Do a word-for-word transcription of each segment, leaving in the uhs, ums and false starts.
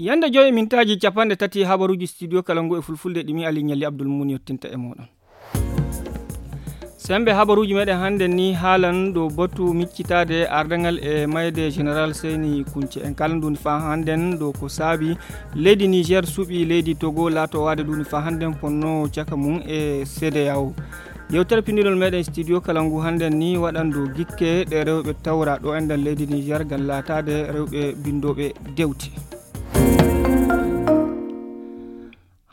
Yande joyi mintaaji capanɗe tati habaruuji studio kala ngu e fulfulde ɗi mi Ali Ñalli Abdul Muum yottinta e mooɗon. Sembe habaruuji meɗen hannde ni haalan ɗo batu miccitaade ardangal e mayde Général Seyni Kunce. En kala nduuni faa hannden ɗo ko saabi leydi Niger suɓi leydi Togo laato waade nduuni faa hannden ponno caka mum e C D A O. Yewtere pinndinol meɗen studio kala ngu hannden ni waɗan ɗo gikke ɗe rewɓe tawra ɗo enɗan leydi Niger ngam laataade rewɓe binndooɓe dewte.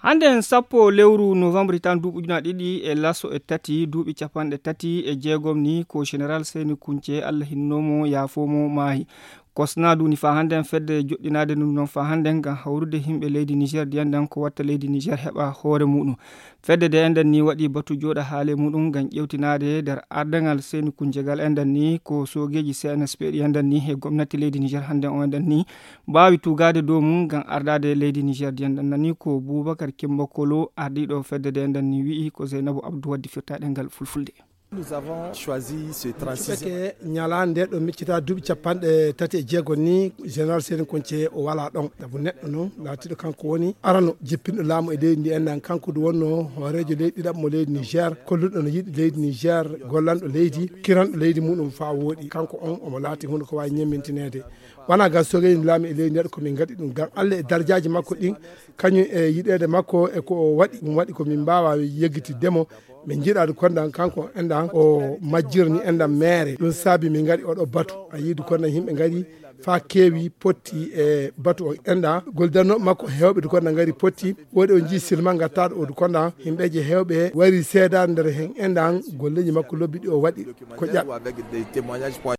Hannde en sappo lewru novembre tan duuɓi ujunaaji ɗiɗi e laso e tati, duuɓi capanɗe tati e jeegom ni ko Général Seyni Kunce, Allah hinnoomo, yaafoomo, maayi. Kosna duuni faa hannde en fedde joɗɗinaade ɗum noon faa hannde en ngam hawrude yimɓe leydi Niger, diyanɗan ko watta leydi Niger heɓa hoore muɗum. Fedde de enɗan ni waɗi batu jooɗa haale muɗum ngam ƴewtinaade nder ardangal Seyni Kunce gal enɗan ni ko soogeeji C N S P ɗi enɗan ni e gomnati leydi Niger hannde o enɗan ni mbaawi tuugaade dow mum ngam ardaade leydi Niger. Diyanɗan nani ko Boubacar Kimba Kolo, ardiiɗo fedde de enɗan ni wi'i ko Zeynabu Abdou waddi firtaaɗe ngal fulfulde. Nous avons choisi ce trente-six. Cuɓake ñalaande nde ɗo miccita duuɓi capanɗe tati e jeego ni, Général Seyni Kunce o walaa ɗon. Sabu neɗɗo noon laatiiɗo kanko woni arano jippinɗo laamu e leydi ndi enɗan. Kanko du wonno hooreejo leydi ɗiɗaɓo mo leydi Niger, kolluɗo no yiɗi leydi Niger, gollanɗo leydi, kiranɗo leydi muɗum faa wooɗi. Kanko on omo laati huunde ko waawi ñemmintineede. Wonaa ngam soogeeji laamu e leydi ndi ko min ngaɗi ɗum, ngam Allah e darajaaji makko ɗin, kañum e yiɗeede makko e ko o waɗi, ɗum waɗi ko min mbaawaa yeggitidde mo. Min njiɗaade kondan kanko enɗan o majjirni enɗan meere. Ɗum saabi min ngaɗi oɗo batu. A yi'ii du kondan yimɓe ngari faa keewi potti e batu o enɗan. Goldanooɓe makko heewɓe du kondan ngari potti. Woodi o njii silma ngattaaɗo o du kondan. Yimɓeeje heewɓe wari seedaade nder hen enɗan golleeji makko lobbi ɗi o waɗi ko ƴaɓ.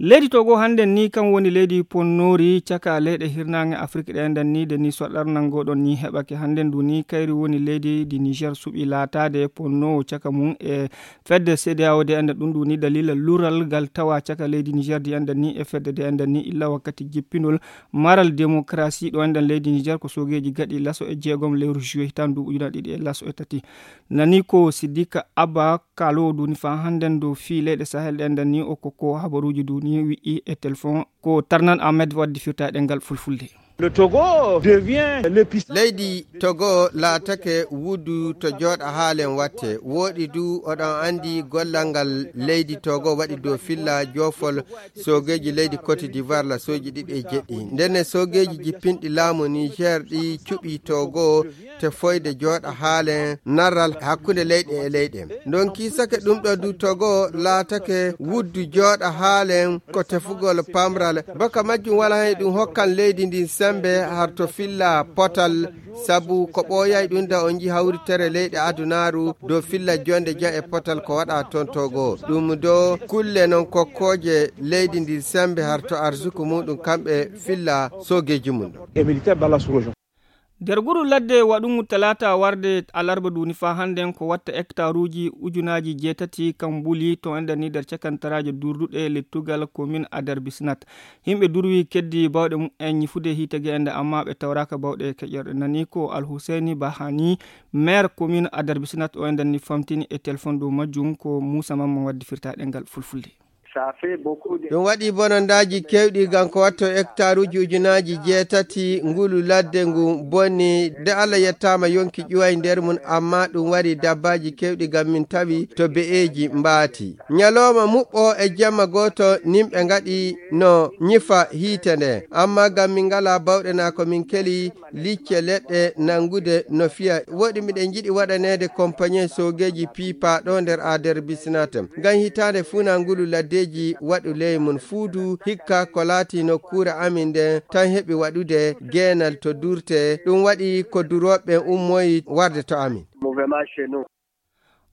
Leydi Togo hannden ni kam woni leydi ponnoori caka leyɗe hirnaange Afrik ɗe enɗan ni de ni soɗar nanngoɗon ni heɓake hannden du ni kayri woni leydi di Niger suɓi laataade ponnoowo caka mum e fedde C D A O de enɗan ɗum du ni dalila lural ngal tawa caka leydi Niger di enɗan ni e fedde de enɗan ni illa wakkati jippinol maral démocratie ɗo enɗan leydi Niger ko soogeeji gaɗi laso e jeegom lewru juillet hitaan du ujuna ɗiɗi e laso e tati. Nani ko Sidika Abba Kalo duni faa hannden dow fii leyɗe Sahel ɗen nden ni o ko ko habaruuji duni wi'i e telefon ko Tarnan Ahmed waddi firtaade ngal fulfulde. Le Togo devient l'épicentre. Leydi Togo laatake wuddu to jooɗa haalen watte. Wooɗi du oɗon anndi gollal ngal leydi Togo waɗi dow filla joofol soogeeji leydi Côte d'Ivoire la sooji ɗiɗi e jeɗɗi. Ndenne soogeeji jippinɗi laamu Niger ɗi cuɓi Togo tefoyde jooɗa haalen narral hakkunde leyɗe e leyɗe. Ndonki sake ɗum ɗo du Togo laatake wuddu jooɗa haalen ko tefugol pamral. Baka majjum wala hay ɗum hokkan leydi ndin sembe har to filla potal, sabu ko ɓooyay ɗum da o nji hawritere leyɗe adunaaru dow filla jonde ja e potal ko waɗa toon Togo. Ɗum do kulle non kokkooje leydi ndin sembe har to arsuku muɗum kamɓe filla soogeeji mum ɗo. Nder guru ladde waɗungu talaata warde alarba duni faa hannden ko watta hectaruuji ujunaaji jeetati kam mbuli to enɗan ni nder cakantaraaje durduɗe lettugal commune Ader Bisnat. Yimɓe durwi keddi bawɗe mumen ñifude hiite ge enɗan amma ɓe tawraaka bawɗe keƴorɗe nani ko Alhuseeni Bahani, maire commune Ader Bisnat o enɗan ni famtini e telefon dow majjum ko Muusa Mamman waddi firtaade ngal fulfulde. Ɗum waɗi bonondaaji keewɗi ngam ko watto hectaruuji ujunaaji jeetati ngulu ladde ngu bonni. De Allah yettaama yonki ƴuway nder mum, amma ɗum wari dabbaaji keewɗi ngam min tawi to be'eeji mbaati. Ñalooma muɓɓo e jemma gooto nimɓe ngaɗi no ñifa hiite nde, amma ngam min ngalaa bawɗe naa ko min keli licce leɗɗe nanngude no fiya. Woɗi miɗen njiɗi waɗaneede kompañe soogeeji piipaaɗo nder Ader Bisnat. Ngam hitaande fuunaa ngulu laddeeji waɗu ley mum fuudu hikka ko laati nokkuure amin nden tan heɓi waɗude geenal to durte. Ɗum waɗi ko durooɓe ummoyi warde to amin.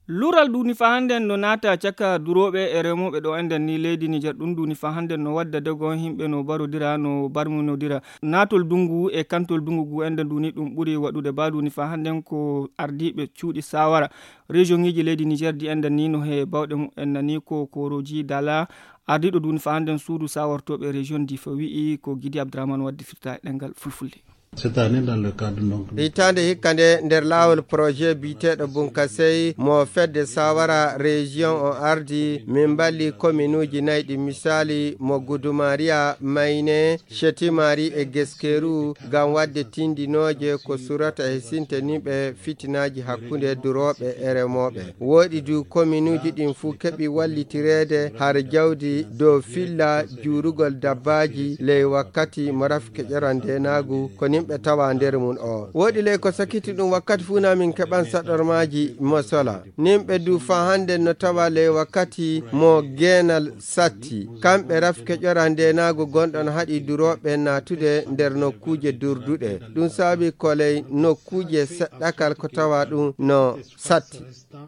Lural duni faa hannden no naata caka durooɓe e remooɓe ɗo enɗan ni leydi Niger. Ɗum duni faa hannden no wadda dogon yimɓe no barodira, no barminodira. Naatol dungu e kantol dungu ngu enɗan duni ɗum ɓuri waɗude ba duni faa hannden ko ardiiɓe cuuɗi saawara région-ŋiiji leydi Niger di enɗan ni no he bawɗe mumen nani ko korooji dala. Ardiiɗo duni faa hannden suudu saawartooɓe région di fa wi'i ko Gidi Abdrahman waddi firta e ɗemngal fulfulde. Cette année, dans le cadre, donc, hitaande hikka nde, nder laawol projet biyeteeɗo Bunkasey mo fedde Sawara Région on ardi, min mballi kominuuji nayi ɗi, misaali mo Gudumariya, Mayne, Shetimari e Geskeru, ngam waɗde tindinooje ko surata e sinteninɓe fitinaaji hakkunde durooɓe e remooɓe. Wooɗi du kominuuji ɗin fuu keɓi wallitireede har jawdi dow filla juurugol dabbaaji ley wakkati mo rafi keƴoral ndeenaagu ko nimɓe tawa nder mum o. Wooɗi ley ko sakiti ɗum wakkati fuu na min keɓan saɗormaaji mo sola. Nimɓe du faa hannde no tawa ley wakkati mo geenal satti. Kamɓe rafi keƴoral ndeenaagu gonɗon haɗi durooɓe naatude nder nokkuuje durduɗe. Ɗum saabi ko ley nokkuuje seɗɗakal ko tawa ɗum no satti.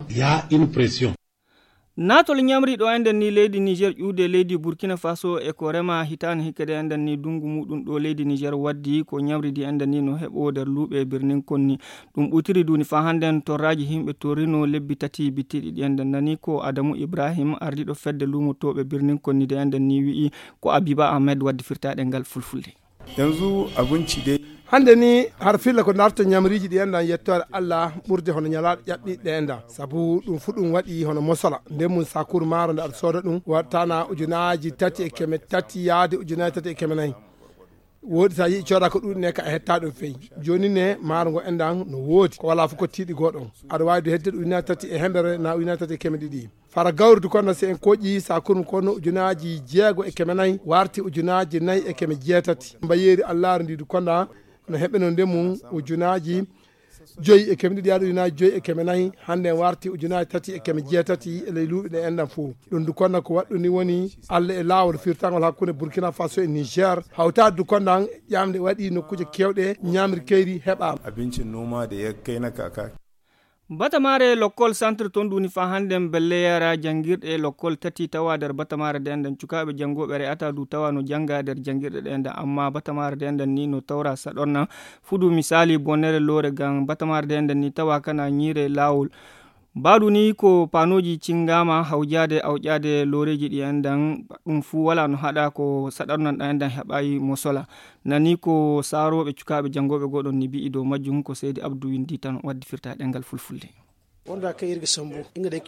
Il y a une pression. Naatol ñamri ɗo enɗen ni leydi Niger ƴuude leydi Burkina Faso e ko rema hitaande hikka de enɗen ni dungu muɗum ɗo leydi Niger waddi ko ñamri di enɗen ni no heɓo nder luuɓe birnin konni. Ɗum ɓutiri duni faa hannden torraaji himɓe torrino lebbi tati bittiɗi ɗi enɗen nani ko Adamu Ibrahim ardiɗo fedde luumotooɓe birnin konni de enɗen ni wi'i ko Abiba Ahmed waddi firtaɗe ngal fulfulde. Yanzu abinci dai. Hannde ni har filla ko narta ñamriiji ɗi enɗan yettoore Allah ɓurde hono ñalaaɗo ƴaɓɓiiɗe enɗan. Sabu ɗum fu ɗum waɗi hono mosola. Nden mum sakuru maaro nde aɗa sooda ɗum wattana ujunaaji tati e keme tati yaade ujunaaji tati e keme nayi. Wooɗi so a yi'i cooda ko ɗuuɗi ne ka a hetta ɗum fey. Jooni ne maaro ngo enɗan no woodi. Ko walaa fu ko tiiɗi goo ɗon. Aɗa waawi du hedde ujunaaji tati e hembere na ujunaaji tati e keme ɗiɗi. Fara gawri du konno si en koƴi sakuru kono ujunaaji jeego e keme nayi warti ujunaaji nayi e keme jeetati. Mbayeeri Allaaru ndi du konno no heɓe no ndemu ujunaaji joyi e keme ɗiɗi yaade ujunaaji joyi e keme nayi. Hannde en warti ujunaaji tati e keme jeetati e ley luuɓi ɗe enɗan fof. Ɗum du konno ko waɗɗu ni woni Allah e laawol firtangol hakkunde Burkina Faso e Niger. Hawtaade du konno ƴamɗe waɗi nokkuuje keewɗe ñamri keyri heɓaama. Abincin noma da ya kai na kaka. Batamaare lokkol centre ton duni faa hannden belle yara janngirɗe lokkol tati tawa nder batamaare de enɗen cukaaɓe janngooɓe re'ata du tawa no jannga nder janngirɗe ɗe enɗen, amma batamaare de enɗen ni no tawra saɗorna fudu misaali bonere loore ngam batamaare de enɗen ni tawa kana ñiire laawol. Baadu ni ko paanooji cingaama hawjaade awƴaade looreeji ɗi enɗen, ɗum fuu wala no haɗa ko saɗornan ɗan enɗen heɓayi mo sola. Nani ko saarooɓe cukaaɓe janngooɓe goo ɗon ni bi'i dow majjum ko Seydi Abdu winndi tan waddi firta ɗemngal fulfulde.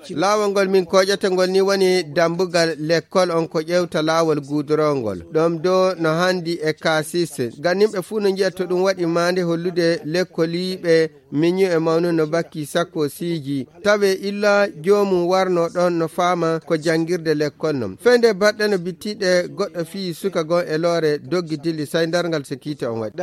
Laawol ngol min koƴata ngol ni woni dambugal lekkol on ko ƴewta laawol guudorongol. Ɗom do no handi e kaasiste. Ganimɓe fuu no njiya to ɗum waɗi maande hollude lekkoliiɓe miñu e mawnu no bakki sakko siiji. Tawe illa joomum warno ɗon no faama ko janngirde lekkol non. Fende baɗɗe no bittiɗe goɗɗo fii suka gon e loore doggi dilli say darngal so kiite on waɗi.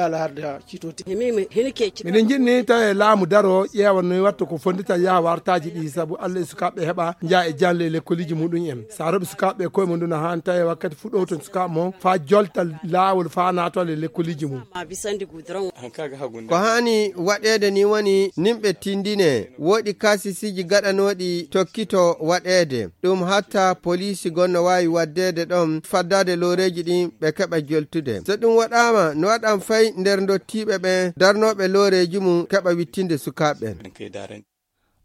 Miɗen jiɗni tawi e laamu daro ƴeewa noy watta ko fondita yaha wartaaji ɗi sabu Allah e sukaaɓe heɓa njaha e janle e lekkoliji muɗum en. Sa roɓi sukaaɓe koye mum ɗum no haani tawi wakkati fuɗɗo ton sukaaɓe mo faa jolta laawol faa naatol e lekkoliji mum. Ko haani waɗeede ni woni nimɓe tindine woɗi kaasisiji gaɗanooɗi tokkito waɗeede. Ɗum hatta poliisi gon no waawi waddeede ɗon faddaade looreeji ɗin ɓe keɓa joltude. So ɗum waɗaama, no waɗan fay nder ndottiiɓe ɓen darnooɓe looreeji mum keɓa wittinde sukaaɓe ɓen.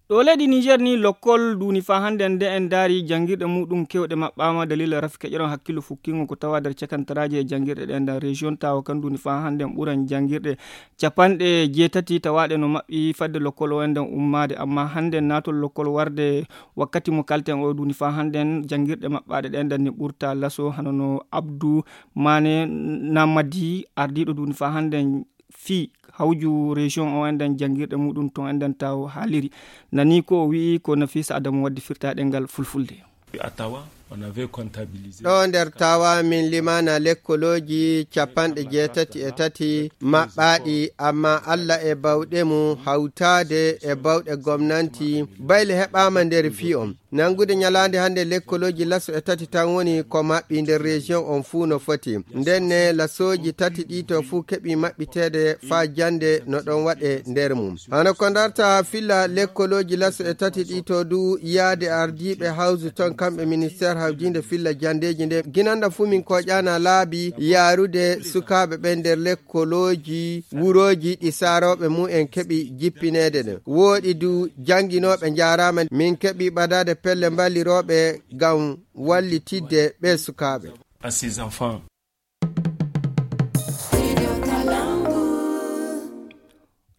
Ɗo leydi Niger ni lokkol duuni faa hannde nde en ndaari janngirɗe muɗum kewɗe maɓɓaama dalila rafi keƴoron hakkillo fukkingo ko tawa nder cakantaraaji e janngirɗe ɗe nder région tawa kan duuni faa hannde ɓuran janngirɗe capanɗe jeetati tawaaɗe no maɓɓi fadde lokkol o enɗen ummaade, amma hannde naatol lokkol warde wakkati mo kalten o duuni faa hannde janngirɗe maɓɓaaɗe ɗe enɗen ni ɓurta laso hano no Abdou Mane Namadi ardiiɗo duuni faa hannde fii hawju région o enɗen janngirɗe muɗum ton enɗen taw haaliri. Nani ko o wi'i ko Nafisa Adamu waddi firta ɗemngal fulfulde. Atawa, on avait comptabilisé. Ɗo nder tawa min limana lekkolooji capanɗe jeetati e tati maɓɓaaɗi, amma Allah e bawɗe mum hawtaade e bawɗe gomnanti bayle heɓaama nder fii on. Nanngude ñalaande hannde lekkolooji laso e tati tan woni ko maɓɓi nder région on fuu no foti. Ndenne lasooji tati ɗi to fuu keɓi maɓɓiteede faa jannde no ɗon waɗe nder mum. Hano ko ndarta filla lekkolooji laso e tati ɗi to du yaade ardiiɓe hawsu ton kamɓe ministeer hawjinde filla janndeeji nde. Ginanɗa fuu min koƴana laabi yaarude sukaaɓe ɓen nder lekkolooji wurooji ɗi saarooɓe mum en keɓi jippineede ɗen. Wooɗi du jannginooɓe njaaraama min keɓi ɓadaade pelle mballirooɓe ngam wallitidde ɓee sukaaɓe. À ses enfants.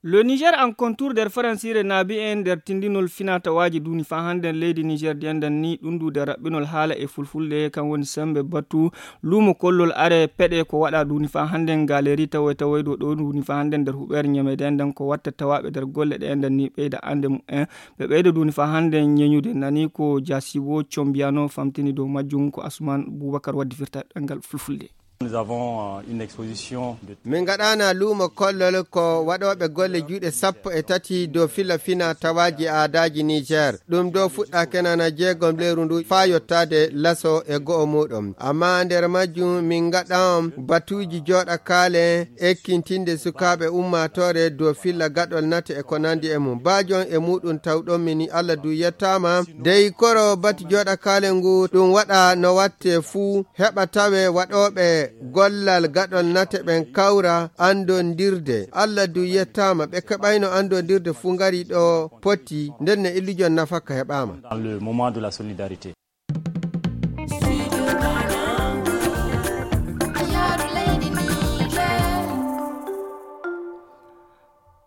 Le Niger en contour nder faransiire naabi en nder tindinol finatawaaji duuni faa hannden leydi Niger di enɗan ni ɗum ndu nder raɓɓinol haala e fulfulde kan woni sembe batu luumo kollol are peɗe ko waɗa duuni faa hannden galeri tawoy tawoy ɗo ɗo duuni faa hannden nder huɓeere ñameede enɗan ko watta tawaaɓe nder golle ɗe enɗan ni ɓeyda annde mum en ɓe ɓeyda duuni faa hannden ñeñude nani ko jasibo combiyano famtini dow majjum ko Asuman Bubakar waddi firta ɗanngal fulfulde. Nous avons euh, une exposition de Min ngaɗaana luumo kollol ko waɗooɓe golle juuɗe sappo e tati dow fila fina tawaaji aadaaji Niger. Ɗum ɗo fuɗɗaake nana jeegom leyru ndu faa yottaade laso e go'o muuɗum. Ammaa nder majjum min ngaɗan batuuji jooɗakaale ekkintinde sukaaɓe ummaatoore dow fila gaɗol nate e ko nanndi e mum. Baajon e muuɗum tawɗon mini Allah du yettaama. Dey koro batu jooɗakaale ngu ɗum waɗa no watte fuu heɓa tawe waɗooɓe gollal gaɗol nate ɓen kawra anndondirde. Allah du yettaama ɓe keɓayno anndondirde fuu ngari ɗo potti nden ne illujon nafakka heɓaama. Dans le moment de la solidarité.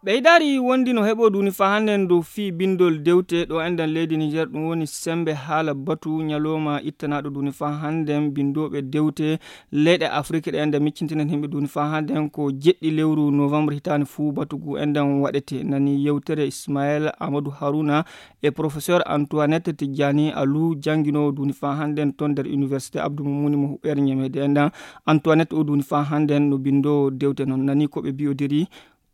Ɓeydaari wondi no heɓo duuni faa hannden dow fii binndol dewte ɗo enɗan leydi Niger ɗum woni sembe haala batu ñalooma ittanaaɗo duuni faa hannden binndooɓe dewte leyɗe Afrik ɗe enɗan miccintinen himɓe duuni faa hannden ko jeɗɗi lewru novembre hitaani fuu batu ngu enɗan waɗete nani yewtere Ismael Amadou Haruna e professeur Antoinette Tidjani Alou jannginoowo duuni faa hannden ton nder université Abdou Moumouni mo huɓeere ñameede enɗan Antoinette o duuni faa hannden no binndoowo dewte noon nani ko ɓe mbiyodiri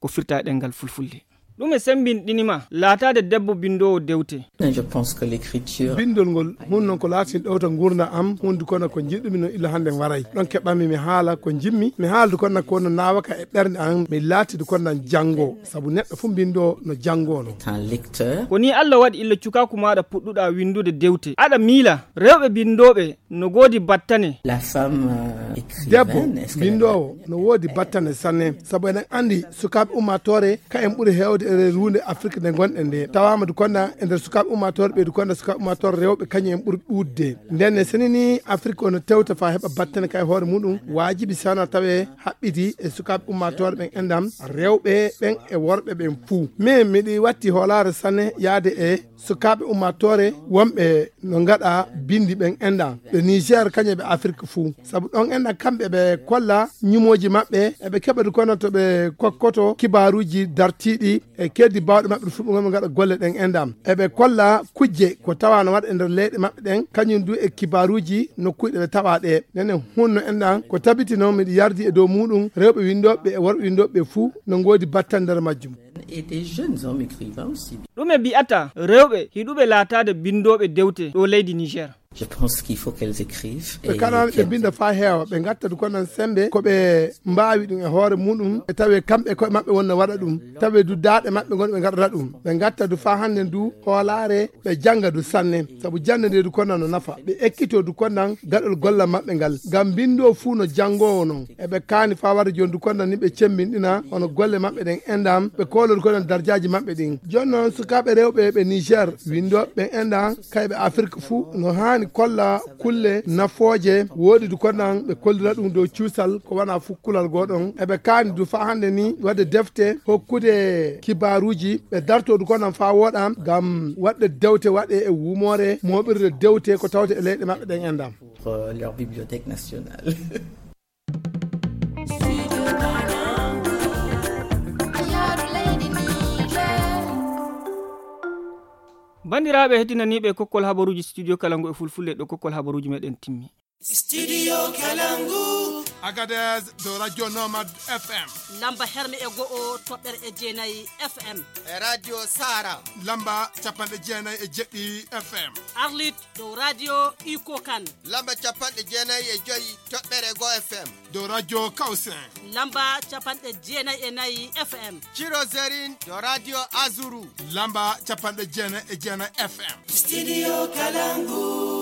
ko firta e ɗemngal fulfulde. Ɗum e semmbinɗinima laataade debbo binndoowo dewte. Je pense que l'écriture. Binndol ngol hun noon ko laatin ɗowta nguurndam am hundi kono ko njiɗumi no illa hannde waray ɗon keɓami mi haala ko njimmi mi haaldu kono ko no naawaka e ɓernde am mi laatidu kono nan janngo sabu neɗɗo fof mbinndoo no janngono. Un lecteur. Ko ni Allah waɗi illa cukaaku maaɗa puɗɗuɗa winndude dewte aɗa miila rewɓe binndooɓe no goodi battane. La femme euh, debbo écrivaine, est-ce qu'elle a- mbinndoowo no woodi battane sanne sabu eɗen anndi sukaaɓe ummaatoore ka en ɓuri heewde e ruunde Afrik nde ngonɗen nde tawaama du konda e nder sukaaɓe ummaatoore ɓeydu konda sukaaɓe ummaatoore rewɓe kañum en ɓuri ɗuuɗde nden ne seni ni Afrik ono tewta faa heɓa battane ka e hoore muɗum waajibi sana tawe haɓɓidi e sukaaɓe ummaatoore ɓen enɗam rewɓe ɓen e worɓe ɓen fuu min miɗi watti hoolaare sanne yaade e sukaaɓe ummaatoore wonɓe no ngaɗa binndi ɓen enɗan ɓe Niger kañum ɓe Afrik fuu sabu ɗon enɗan kamɓe ɓe kolla ñumooji maɓɓe eɓe keɓa du kono to ɓe kokkoto kibaaruuji dartiiɗi e keddi baawɗe maɓɓe ɗo fuɗɗugol ɓe ngaɗa golle ɗen enɗan eɓe kolla kujje ko tawa no waɗa e nder leyɗe maɓɓe ɗen kañum du e kibaaruuji nokkuuji ɗe ɓe tawa ɗe nene hunno enɗan ko tabitino miɗo yardi e dow muɗum rewɓe winndooɓe e worɓe winndooɓe fuu no ngoodi battal nder majjum. Et des jeunes hommes écrivains aussi. Ɗume mbiyata rewɓe hiɗuɓe laataade binndooɓe dewte ɗo leydi Niger? Je pense qu'il faut qu'elles écrivent. Ɓe kanaani ɓe mbinda faa heewa ɓe ngatta du konan sembe ko ɓe mbaawi ɗum e hoore muɗum ɓe tawe kamɓe koye maɓɓe wonno waɗa ɗum tawe du daaɗe maɓɓe ngon ɓe ngaɗata ɗum ɓe ngatta du faa hannden du hoolaare ɓe jannga du sanne sabu jannde nde du konan no nafa ɓe ekkito du konan gaɗol golla maɓɓe ngal ngam mbinndoo fuu no janngoowo non eɓe kaani faa warde jooni du konan ni ɓe cemmbinɗina hono golle maɓɓe ɗen enɗam ɓe kooloo du konan darjaaji maɓɓe ɗin jooni noon sukaaɓe rewɓe ɓe Niger winndooɓe ɓen enɗan kayɓe Afrik fuu no haani kolla kulle nafooje woodi du konan ɓe kollira ɗum dow cuusal ko wona fuu kulal gooɗon eɓe kaani du faa hannde ni waɗde defte hokkude kibaaruuji ɓe dartoo du konan faa wooɗa ngam waɗde dewte waɗe e wuumoore mooɓirde dewte ko tawte e leyɗe maɓɓe ɗen enɗam. Pour euh, leur bibliothèque nationale. Banndiraaɓe heɗinaniiɓe kokkol habaruuji studio kala ngu e fulfulde ɗo kokkol habaruuji meɗen timmi. Studio Kalangu. Agadez dow Radio Nomad F M. Lamba herne e go'o toɓɓere e jeenayi F M. E Radio Sara. Lamba capanɗe jeenayi e jeɗɗi F M. Arlit dow Radio Iko Kan. Lamba capanɗe jeenayi e joyi toɓɓere go F M. Dow Radio Kausen. Lamba capanɗe jeenayi e nayi F M. Ciro Zerin dow Radio Azuru. Lamba capanɗe jeenayi e jeenayi F M. Studio Kalangu.